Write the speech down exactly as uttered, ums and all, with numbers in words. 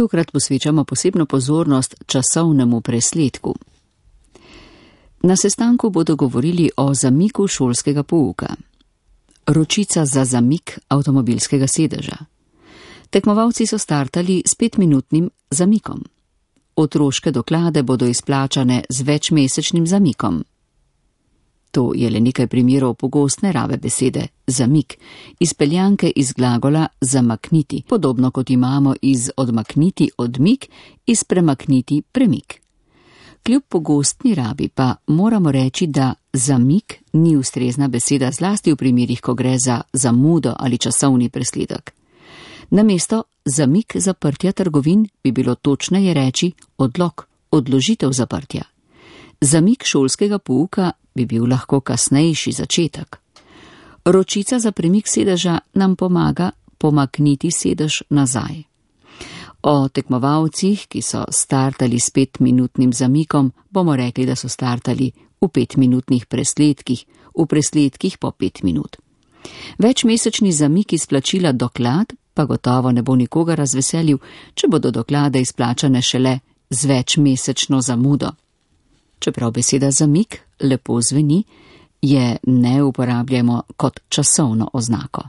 Tokrat posvečamo posebno pozornost časovnemu presledku. Na sestanku bodo govorili o zamiku šolskega pouka. Ročica za zamik avtomobilskega sedeža. Tekmovalci so startali s petminutnim zamikom. Otroške doklade bodo izplačane z večmesečnim zamikom. To je le nekaj primerov pogostne rabe besede zamik, izpeljanke iz glagola zamakniti, podobno kot imamo iz odmakniti odmik, iz premakniti premik. Kljub pogostni rabi pa moramo reči, da zamik ni ustrezna beseda zlasti v primerih, ko gre za zamudo ali časovni presledek. Namesto zamik zaprtja trgovin bi bilo točneje reči odlog, odložitev zaprtja. Zamik šolskega pouka bi bil lahko kasnejši začetek. Ročica za premik sedeža nam pomaga pomakniti sedež nazaj. O tekmovalcih, ki so startali s petminutnim zamikom, bomo rekli, da so startali v petminutnih presledkih, v presledkih po pet minut. Večmesečni zamik izplačila doklad pa gotovo ne bo nikoga razveselil, če bodo doklade izplačane šele z večmesečno zamudo. Čeprav beseda zamik lepo zveni, je ne uporabljamo kot časovno oznako.